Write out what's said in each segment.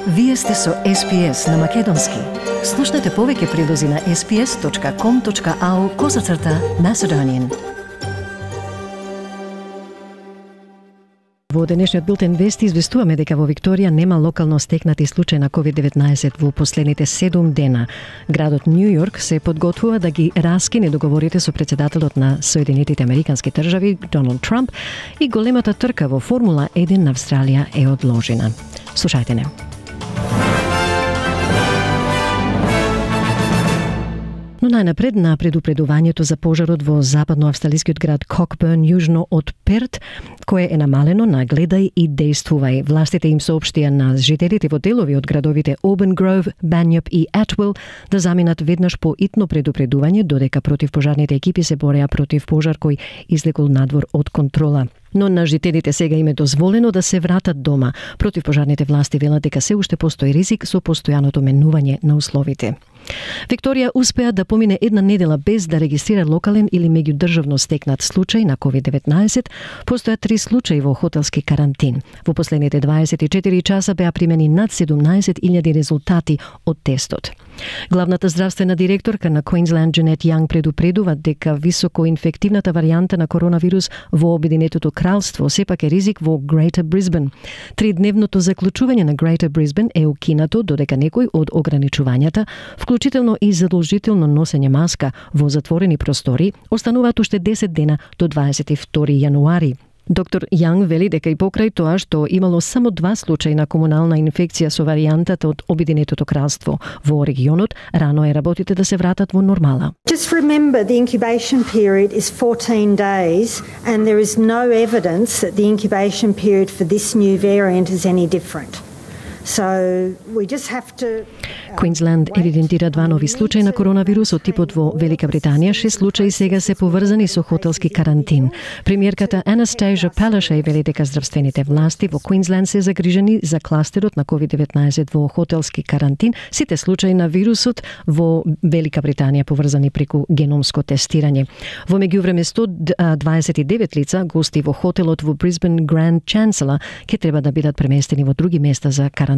Вие сте со SPS на Македонски. Слушнете повеќе прилози на sps.com.au/Macedonian. Во денешниот билтен вести известуваме дека во Викторија нема локално стекнати случаи на COVID-19 во последните 7 дена. Градот Нью Йорк се подготвува да ги раскине договорите со претседателот на Соединетите Американски држави Доналд Трамп и големата трка во Формула 1 на Австралија е одложена. Слушајте не. Но најнапред на предупредувањето за пожарот во западноавстралискиот град Кокберн, јужно од Перт, кое е намалено на гледај и действувај. Властите им соопштија на жителите во делови од градовите Auburn Grove, Bunyip и Atwell да заминат веднаш по итно предупредување, додека противпожарните екипи се бореа против пожар кој излекол надвор од контрола. Но на жителите сега им е дозволено да се вратат дома. Противпожарните власти велат дека се уште постои ризик со постојаното менување на условите. Викторија успеа да помине една недела без да регистрира локален или меѓудржавно стекнат случај на COVID-19. Постојат 3 случаи во хотелски карантин. Во последните 24 часа беа примени над 17.000 резултати од тестот. Главната здравствена директорка на Queensland Джанет Јанг предупредува дека високоинфективната варијанта на коронавирус во Обединетото кралство сепак е ризик во Greater Brisbane. 3-дневното заклучување на Greater Brisbane е укинато додека некои од ограничувањата, вклучително и задолжително носење маска во затворени простори, остануваат уште 10 дена до 22 јануари. Доктор Јанг вели дека и покрај тоа што имало само 2 случаи на комунална инфекција со варијантата од Обединетото кралство во регионот, рано е работите да се вратат во нормала. Just remember the incubation period is 14 days and there is no evidence that the incubation period for this new variant is any different. So we just have to Queensland евидентира 2 нови случаи на коронавирус од типот во Велика Британија. 6 случаи сега се поврзани со хотелски карантин. Премиерката Anastasia Palaszczuk вели дека здравствените власти во Queensland се загрижени за кластерот на COVID-19 во хотелски карантин. Сите случаи на вирусот во Велика Британија поврзани преку геномско тестирање. Во меѓувреме 129 лица гости во хотелот во Brisbane Grand Chancellor ќе треба да бидат преместени во други места за карантин.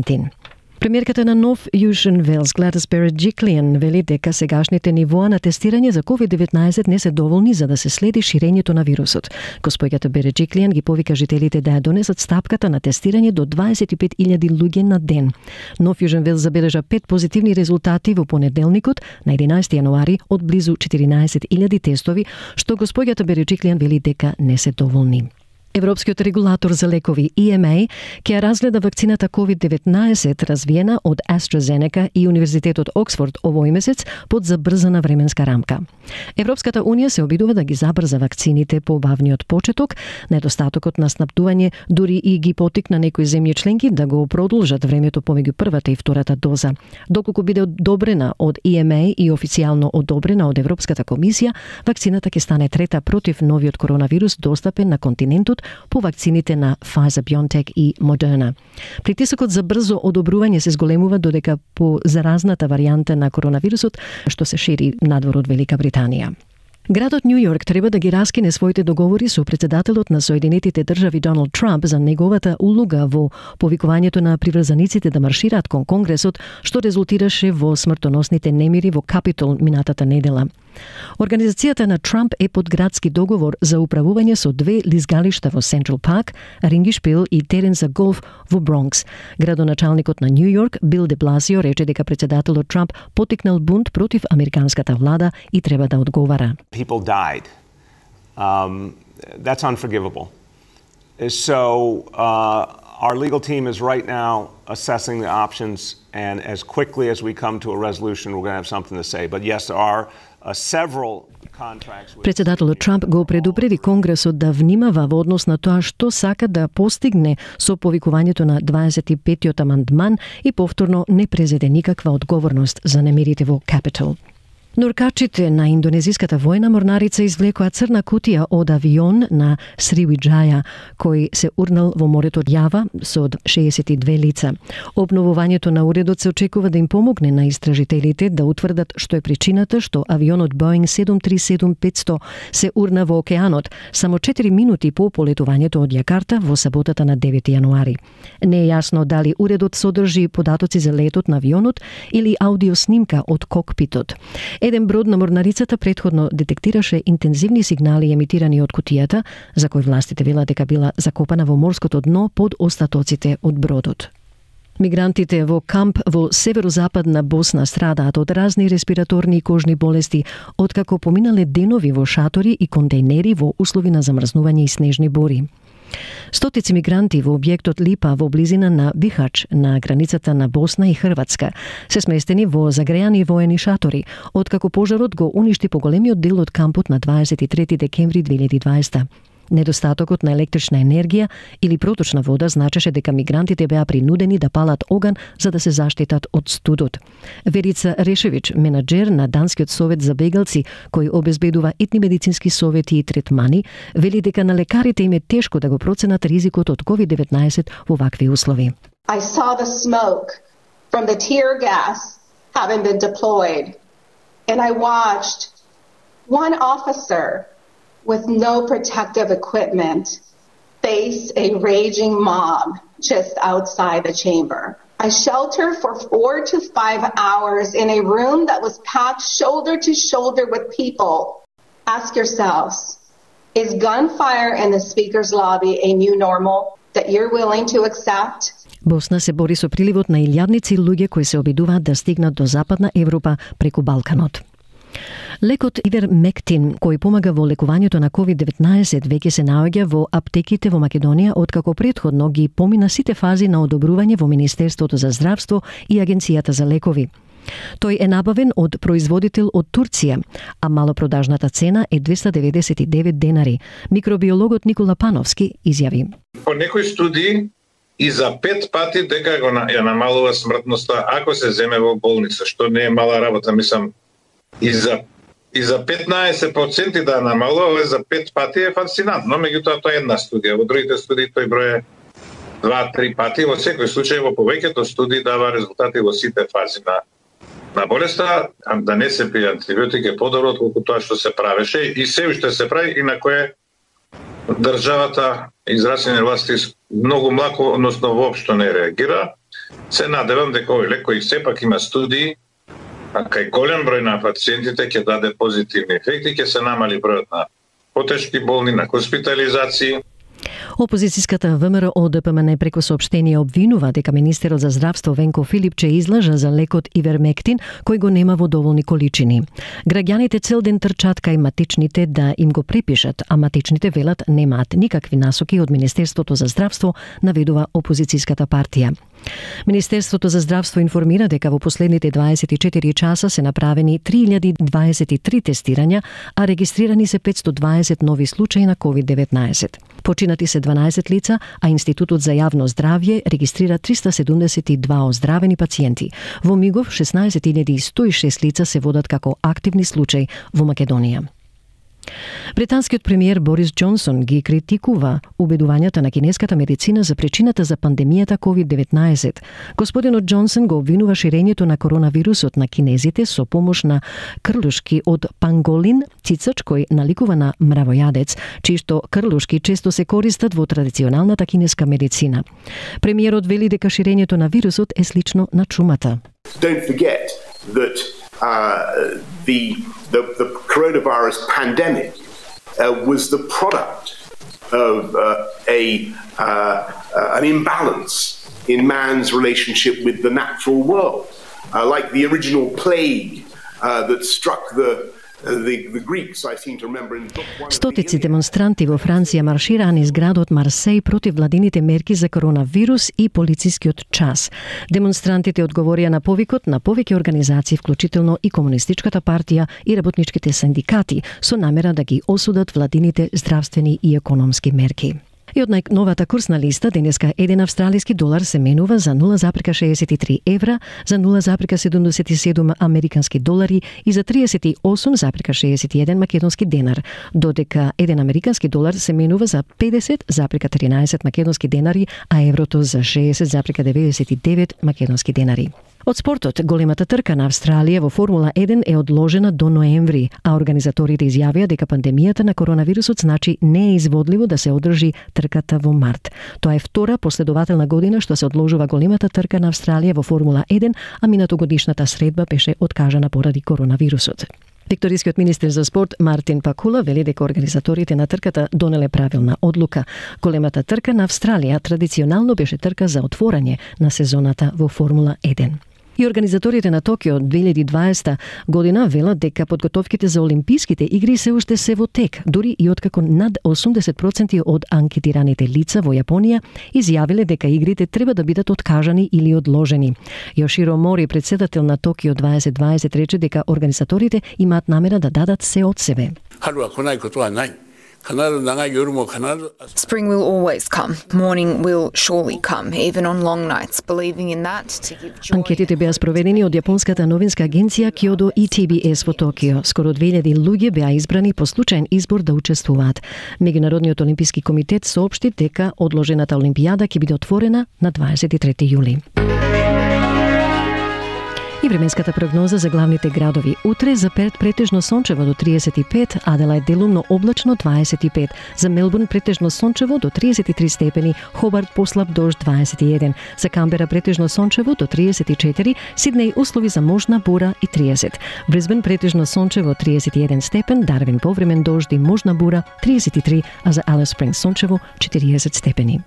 Премиерката на Нов Јужен Велс Gladys Berejiklian вели дека сегашните нивоа на тестирање за COVID-19 не се доволни за да се следи ширењето на вирусот. Госпоѓата Berejiklian ги повика жителите да ја донесат стапката на тестирање до 25.000 луѓе на ден. Нов Јужен Велс забележа 5 позитивни резултати во понеделникот на 11 јануари од близу 14.000 тестови, што госпоѓата Berejiklian вели дека не се доволни. Европскиот регулатор за лекови EMA ќе разгледа вакцината COVID-19 развиена од AstraZeneca и Универзитетот Оксфорд овој месец под забрзана временска рамка. Европската унија се обидува да ги забрза вакцините по бавниот почеток, недостатокот на снабдување дури и ги поттикна некои земји членки да го продолжат времето помеѓу првата и втората доза. Доколку биде одобрена од EMA и официјално одобрена од Европската комисија, вакцината ќе стане трета против новиот коронавирус достапен на континентот по вакцините на Pfizer-BioNTech и Moderna. Притисокот за брзо одобрување се зголемува додека по заразната варијанта на коронавирусот што се шири надвор од Велика Британија. Градот Нью Йорк треба да ги раскине своите договори со претседателот на Соединетите држави Доналд Трамп за неговата улога во повикувањето на приврзаниците да маршираат кон Конгресот, што резултираше во смртоносните немири во Капитол минатата недела. Организацијата на Трамп е под градски договор за управување со 2 лизгалишта во Централ Парк, Рингишпил и терен за голф во Бронкс. Градоначалникот на Нью Йорк, Бил де Бласио, рече дека претседателот Трамп поттикнал бунт против американската влада и треба да одговара. People died. That's unforgivable. So our legal team is right now assessing the options, and as quickly as we come to a resolution, we're going to have something to say. But yes, there are several contracts. Председателот Трамп го предупреди Конгресот да внимава во однос на тоа што сака да постигне со повикувањето на 25-тиот амандман и повторно не презеде никаква одговорност за немирите во Капитол. Норкачите на индонезиската војна морнарица извлекоа црна кутија од авион на Сривиџаја, кој се урнал во морето од Јава со 62 лица. Обновувањето на уредот се очекува да им помогне на истражителите да утврдат што е причината што авионот Boeing 737-500 се урна во океанот само 4 минути по полетувањето од Јакарта во саботата на 9 јануари. Не е јасно дали уредот содржи податоци за летот на авионот или аудиоснимка од кокпитот. Еден брод на морнарицата претходно детектираше интензивни сигнали емитирани од кутијата, за кој властите велат дека била закопана во морското дно под остатоците од бродот. Мигрантите во камп во северозападна Босна страдаат од разни респираторни и кожни болести, откако поминале денови во шатори и контейнери во услови на замрзнување и снежни бури. Стотици мигранти во објектот Липа во близина на Бихач на границата на Босна и Хрватска се сместени во загрејани воени шатори, откако пожарот го уништи поголемиот дел од кампот на 23 декември 2020. Недостатокот на електрична енергија или проточна вода значеше дека мигрантите беа принудени да палат оган за да се заштитат од студот. Верица Решевич, менаџер на Данскиот совет за бегалци, кој обезбедува етни медицински совети и третмани, вели дека на лекарите им е тешко да го проценат ризикот од COVID-19 во вакви услови. I saw the smoke from the tear gas having been deployed, and I watched one officer with no protective equipment face a raging mob just outside the chamber. I sheltered for 4 to 5 hours in a room that was packed shoulder to shoulder with people. Ask yourselves, is gunfire in the speaker's lobby a new normal that you're willing to accept? Босна се бори со приливот на илјадници луѓе кои се обидуваат да стигнат до Западна Европа преку Балканот. Лекот Ивермектин, кој помага во лекувањето на COVID-19, веќе се наоѓа во аптеките во Македонија, откако претходно ги помина сите фази на одобрување во Министерството за здравство и Агенцијата за лекови. Тој е набавен од производител од Турција, а малопродажната цена е 299 денари. Микробиологот Никола Пановски изјави: По некои студии и за 5 пати дека ја намалува смртноста ако се земе во болница, што не е мала работа, мислам. И за 15% да намалува, за 5 пати е фасцинантно, меѓутоа тоа е една студија. Во другите студии тој број е 2-3 пати, во секој случај во повеќето студии дава резултати во сите фази на болеста, да не се пие антибиотик е подобро отколку тоа што се правеше и се уште се прави и на кое државата и здравствени власти многу млако, односно воопшто не реагира. Се надевам дека овој лек кој сепак има студии, а кај голем број на пациентите ќе даде позитивни ефекти, ќе се намали бројот на потешки болни, на хоспитализации. Опозицијската ВМРО ДПМН преку соопштение обвинува дека министерот за здравство Венко Филипче излажа за лекот Ивермектин, кој го нема во доволни количини. Граѓаните цел ден трчат кај матичните да им го препишат, а матичните велат немаат никакви насоки од Министерството за здравство, наведува опозицијската партија. Министерството за здравство информира дека во последните 24 часа се направени 3023 тестирања, а регистрирани се 520 нови случаи на COVID-19. Починати се 12 лица, а Институтот за јавно здравје регистрира 372 оздравени пациенти. Во мигов 16.106 лица се водат како активни случаи во Македонија. Британскиот премиер Борис Џонсон ги критикува убедувањата на кинеската медицина за причината за пандемијата COVID-19. Господинот Џонсон го обвинува ширењето на коронавирусот на кинезите со помош на крлушки од панголин, цицач кој наликува на мравојадец, чишто крлушки често се користат во традиционалната кинеска медицина. Премиерот вели дека ширењето на вирусот е слично на чумата. Don't forget that the coronavirus pandemic was the product of an imbalance in man's relationship with the natural world, like the original plague that struck the Greeks, I seem to remember in book one. Стотици демонстранти во Франција маршираа низ градот Марсеј против владините мерки за коронавирус и полицискиот час. Демонстрантите одговорија на повикот на повеќе организации, вклучително и Комунистичката партија и работничките синдикати, со намера да ги осудат владините здравствени и економски мерки. И од најновата курсна листа, денеска 1 австралиски долар се менува за 0,63 евра, за 0,77 американски долари и за 38,61 македонски денар, додека 1 американски долар се менува за 50,13 македонски денари, а еврото за 60,99 македонски денари. Од спортот, големата трка на Австралија во Формула 1 е одложена до ноември, а организаторите изјавија дека пандемијата на коронавирусот значи не е изводливо да се одржи трката во март. Тоа е втора последователна година што се одложува големата трка на Австралија во Формула 1, а минатогодишната средба беше откажана поради коронавирусот. Викторискиот министер за спорт Мартин Пакула вели дека организаторите на трката донеле правилна одлука. Големата трка на Австралија традиционално беше трка за отворање на сезоната во Формула 1. И организаторите на Токио 2020 година велат дека подготовките за Олимписките игри се уште се во тек, дури и откако над 80% од анкетираните лица во Јапонија изјавиле дека игрите треба да бидат откажани или одложени. Јоширо Мори, председател на Токио 2020, рече дека организаторите имаат намера да дадат се од себе. Spring will always come. Morning will surely come, even on long nights, believing in that to give joy. Анкетите беа спроведени од јапонската новинска агенција Kyodo и TBS во Токио. Скоро 2000 луѓе беа избрани по случаен избор да учествуваат. Меѓународниот олимписки комитет соопшти дека одложената олимпијада ќе биде отворена на 23 јули. И временската прогноза за главните градови. Утре за Перт претежно сончево до 35, Аделајд делумно облачно 25, за Мелбурн претежно сончево до 33 степени, Хобарт послаб дожд 21, за Камбера претежно сончево до 34, Сиднеј услови за можна бура и 30, Брисбен претежно сончево 31 степен, Дарвин повремен дожд и можна бура 33, а за Алис Спрингс сончево 40 степени.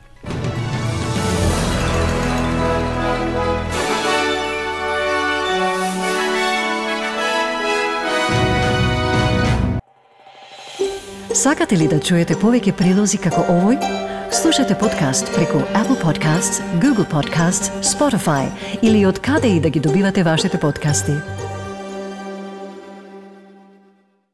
Сакате ли да чуете повеќе прилози како овој? Слушате подкаст преку Apple Podcasts, Google Podcasts, Spotify или од каде и да ги добивате вашите подкасти.